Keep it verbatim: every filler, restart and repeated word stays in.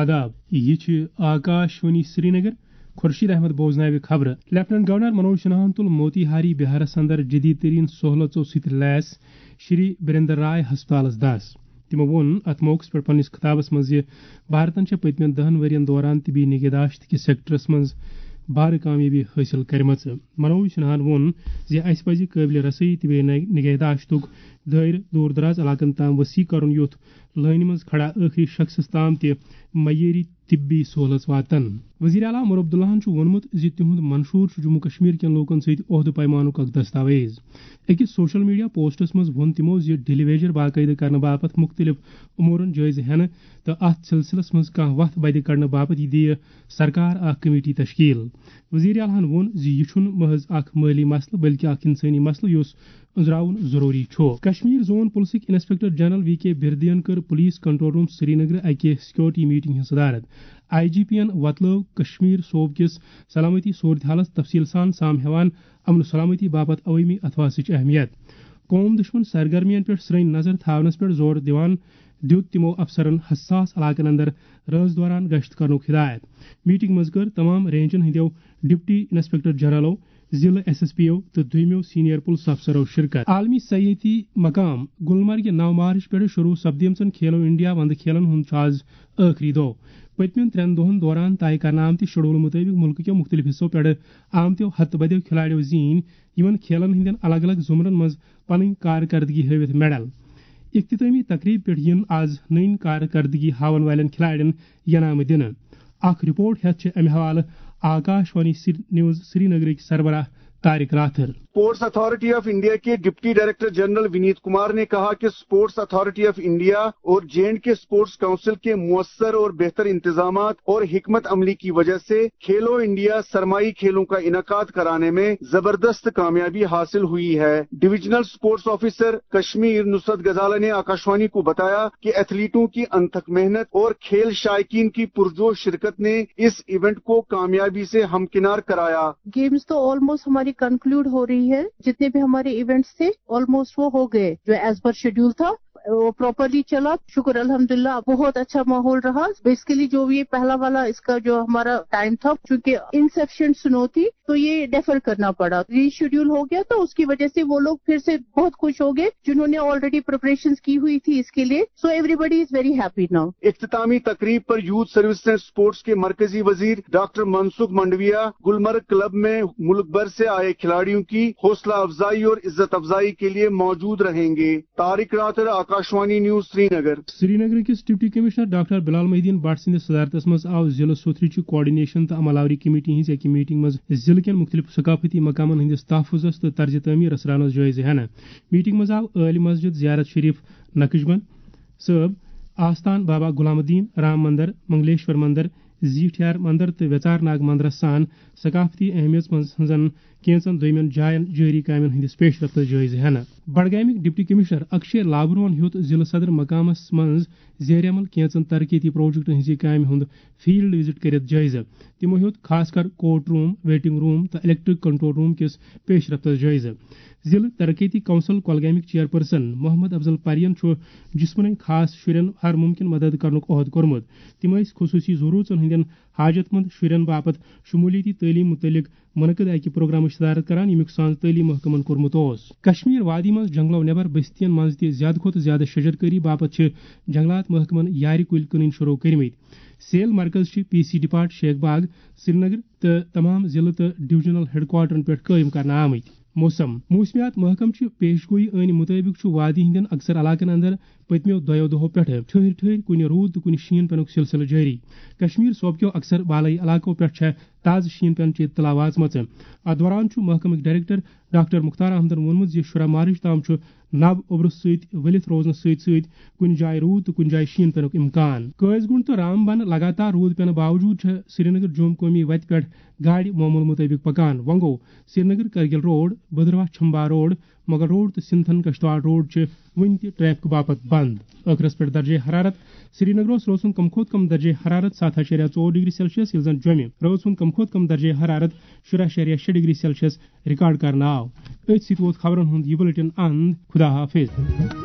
آداب، یہِ چھِ آکاش وانی سرینگر۔ خورشید احمد بوزناوِ خبرٕ۔ لیفٹیننٹ گورنر منوج سنہاہن تُل موتی ہاری بہارس اندر جدید ترین سہولژو سۭتۍ لیس شری بریندر رائے ہسپتالس دس۔ تِمو ووٚن اتھ موقعس پٮ۪ٹھ پننِس خطابس منٛز زِ بھارتن چھےٚ پٔتمٮ۪ن دہن ؤرین دوران طبی نگہداشت کِس سیکٹرس منٛز بھارٕ کامیٲبی حٲصِل کٔرمٕژ۔ منوج سنہاہن ووٚن زِ اسہِ پزِ قٲبلِ رسٲیی طبی نگ-، نگہداشتُک دٲیرٕ دوٗر دراز علاقن تام وسیع کرُن، یُتھ لٲنہِ منٛز کھڑا ٲخری شخصس تام تہِ معیٲری طبی سہولژ واتن۔ وزیر اعلیٰ عمر عبداللہن چھُ ووٚنمُت زِ تِہُنٛد منشور چھُ جموں کشمیر کٮ۪ن لوٗکن سۭتۍ عہدٕ پیمانُک اکھ دستاویز۔ أکِس سوشل میڈیا پوسٹس منٛز ووٚن تِمو زِ ڈیلی ویجر باقٲعدٕ کرنہٕ باپتھ مُختٔلِف امورن جٲیزٕ ہٮ۪نہٕ تہٕ اتھ سلسلس منٛز کانٛہہ وتھ بدِ کڑنہٕ باپتھ یہِ دِیہِ سرکار اکھ کمیٹی تشکیل۔ وزیر اعلیٰ ہن ووٚن زِ یہِ چھُنہٕ محض اکھ مٲلی مسلہٕ بلکہِ اکھ انسٲنی مسلہٕ یُس أنٛزراوُن ضروٗری چھُ۔ کشمیر زون پُلسٕکۍ انسپیکٹر جنرل وی کے بردین کٔر پُلیٖس کنٹرول روٗم سرینگرٕ اکہِ سیکیورٹی میٹنگ ہٕنٛز صدارت۔ آئی جی پی یَن وۄتلٲو کشمیر صوبہٕ کِس سلامتی صورتحالَس تفصیٖل سان سام ہٮ۪وان امن و سلامتی باپتھ عوٲمی اتھواسٕچ اہمیت۔ قوم دُشمن سرگرمین پٮ۪ٹھ سرٛنۍ نظر تھاونَس پٮ۪ٹھ زور دِوان دیُت تِمو افسرن حساس علاقن اندر رٲژ دوران گشت کرنُک ہدایت۔ میٹنگ منٛز کٔر تمام رینجن ہٕنٛدیو ڈپٹی انسپیکٹر جنرلو، ضلع ایس ایس پی او تہٕ دوٚیمٮ۪و سینئر پُلس افسرو شرکت۔ عالمی سیاحتی مقام گلمرگہِ نو مارچ پٮ۪ٹھ شروع سپدیمژن کھیلو انڈیا وندٕ کھیلن ہُنٛد چھُ آز ٲخری دۄہ۔ پٔتمٮ۪ن ترٛٮ۪ن دۄہن دوران طے کرنہٕ آمتہِ شیڈول مُطٲبِق مُلکہٕ کٮ۪و مُختٔلِف حصو پٮ۪ٹھ آمتٮ۪و ہتہٕ بٔدیو کھلاڑیو زیٖنۍ یِمن کھیلن ہٕنٛدٮ۪ن الگ الگ زمرن منٛز پنٕنۍ کارکردگی ہٲوِتھ میڈل۔ اختتٲمی تقریب پٮ۪ٹھ یِن آز نٔنۍ کارکردگی ہاون والٮ۪ن کھلاڑٮ۪ن ینامہٕ دِنہٕ۔ اکھ رپورٹ ہٮ۪تھ چھِ امہِ حوالہٕ آکاش وانی سری-، نیوز سرینگرٕکۍ سربراہ Tariq Rather. Sports authority of India کے deputy director general Vineet Kumar نے کہا کہ اسپورٹس اتھارٹی آف انڈیا اور J and K sports council کے مؤثر اور بہتر انتظامات اور حکمت عملی کی وجہ سے کھیلو انڈیا سرمائی کھیلوں کا انعقاد کرانے میں زبردست کامیابی حاصل ہوئی ہے۔ ڈویژنل اسپورٹس آفیسر کشمیر نصرت غزالہ نے آکاشوانی کو بتایا کہ ایتھلیٹوں کی انتھک محنت اور کھیل شائقین کی پرجوش شرکت نے اس ایونٹ کو کامیابی سے ہمکنار کرایا۔ گیمز تو آلموسٹ ہماری کنکلوڈ ہو رہی ہے، جتنے بھی ہمارے ایونٹس تھے آلموسٹ وہ ہو گئے جو ایز پر شیڈول تھا، وہ پراپرلی چلا۔ شکر الحمدللہ، بہت اچھا ماحول رہا۔ بیسیکلی جو یہ پہلا والا اس کا جو ہمارا ٹائم تھا، چونکہ انسفیشینٹ سنو تھی تو یہ ڈیفر کرنا پڑا، ری شیڈول ہو گیا، تو اس کی وجہ سے وہ لوگ پھر سے بہت خوش ہو گئے جنہوں نے آلریڈی پریپریشنز کی ہوئی تھی اس کے لیے۔ So every body is very happy ناؤ۔ اختتامی تقریب پر یوتھ سروسز اینڈ اسپورٹس کے مرکزی وزیر ڈاکٹر منسکھ منڈویا گلمرگ کلب میں ملک بھر سے آئے کھلاڑیوں کی حوصلہ افزائی اور عزت افزائی کے لیے موجود رہیں گے۔ طارق راتھر، آکاشوانی نیوز، سرینگر۔ سرینگر کِس ڈپٹی کمشنر ڈاکٹر بلال محی الدین بٹ سٕنٛدِس صدارتس منٛز آو ضلعہٕ سوتھرٕچہِ کوآرڈینیشن تہٕ عمل آوری کمیٹی ہٕنٛزِ اَکہِ میٹنگ منٛز ضلعہٕ کٮ۪ن مُختٔلِف ثقافتی مقامن ہٕنٛدِس تحفظس تہٕ طرزِ تعمیٖرس رانس جٲیزٕ ہٮ۪نہٕ۔ میٹنگ منٛز آو عٲلۍ مسجد زیارت شریف نقش بند صٲب، آستان بابا غلام الدین، رام مندر، منگلیشور مندر، زیٹھیار مندر تہٕ ویژار ناگ مندرس سان ثقافتی اہمیت منٛز ہٕنٛزن کینٛژن دوٚیمٮ۪ن جاین جٲری کامٮ۪ن ہٕنٛدِس پیش رفتس جٲیزٕ ہٮ۪نہٕ۔ بڈگامیُک ڈپٹی کمشنر اکشے لابروہن ہیوٚت ضلعہٕ صدر مقامس منٛز زیر عمل کینٛژن ترقیتی پروجیکٹن ہٕنٛزِ کامہِ ہُنٛد فیلڈ وزٹ کٔرِتھ جٲیزٕ۔ تِمو ہیوٚت خاص کر کورٹ روم، ویٹنگ روم تہٕ الیکٹرک کنٹرول روم کِس پیش رفتس جٲیزٕ۔ ضلعہٕ ترقیتی کونسل کۄلگامیُک چیئرپرسن محمد افضل پرین چھُ جسمٲنی خاص شُرٮ۪ن ہر ممکن مدد کرنُک عہد کوٚرمُت۔ تِم ٲسۍ خصوٗصی ضروٗرژن ہٕنٛدٮ۪ن حاجت مند شُرٮ۪ن باپتھ شمولیتی تعلیٖم مُتعلق منعقد اکہِ پروگرامٕچ صدارت کران، ییٚمیُک سانز تعلیٖم محکمن کوٚرمُت اوس۔ کشمیر وادی منٛز جنگلو نٮ۪بر بستین منٛز تہِ زیادٕ کھۄتہٕ زیادٕ شجر کٲری باپتھ چھِ جنگلات محکمن یارِ کُلۍ کٕنٕنۍ شروع کٔرمٕتۍ۔ سیل مرکز چھِ پی سی ڈپارٹ شیخ باغ، سرینگر تہٕ تمام ضلعہٕ تہٕ ڈویژنل ہیڈکوارٹرن پٮ۪ٹھ قٲیِم کرنہٕ آمٕتۍ۔ موسم۔ موسمیات محکمہٕ چہِ پیش گویی ٲنہِ مُطٲبِق چھُ وادی ہٕنٛدٮ۪ن اکثر علاقن اندر پٔتمیو دۄیو دۄہو پٮ۪ٹھٕ ٹھٔہرۍ ٹھٔہرۍ کُنہِ روٗد تہٕ کُنہِ شیٖن پینُک سلسلہٕ جٲری۔ کشمیر صوبہٕ کیو اکثر بالٲیی علاقو پٮ۪ٹھ چھےٚ تازٕ شیٖن پینٕچ اطلاع واتمٕژ۔ اتھ دوران چھُ محکمٕکۍ ڈائریکٹر ڈاکٹر مختار احمدن ووٚنمُت زِ شُراہ مارچ تام چھُ نب اوٚبرٕ سۭتۍ ؤلِتھ روزنہٕ سۭتۍ سۭتۍ کُنہِ جایہِ روٗد تہٕ کُنہِ جایہِ شیٖن پینُک امکان۔ قٲضۍ گُنڈ تہٕ رام بن لگاتار روٗد پینہٕ باوجوٗد چھےٚ سرینگر جوم قومی وتہِ پٮ۪ٹھ گاڑِ معمول مُطٲبِق پکان۔ وۄنۍ گوٚو، Srinagar Kargil road, Bhaderwah Chamba road, Mughal road تہٕ سنتھن کشتواڑ روڈ چھِ وُنہِ تہِ ٹریفک باپتھ بند۔ ٲخرس پٮ۪ٹھ درجہ حرارت۔ سرینگرس روز ہُنٛد کم کھۄتہٕ کم درجہ حرارت ستھ اَشاریہ ژور ڈگری سیلسیس، ییٚلہِ زن جوٚمہِ روز ہُنٛد کم کھۄتہٕ کم درجہ حرارت شُراہ اَشاریہ شےٚ ڈگری سیلسیس ریکارڈ کرنہٕ آو۔ أتھۍ سۭتۍ ووت خبرن ہُنٛد یہِ بلیٹن اند۔ خدا حافظ۔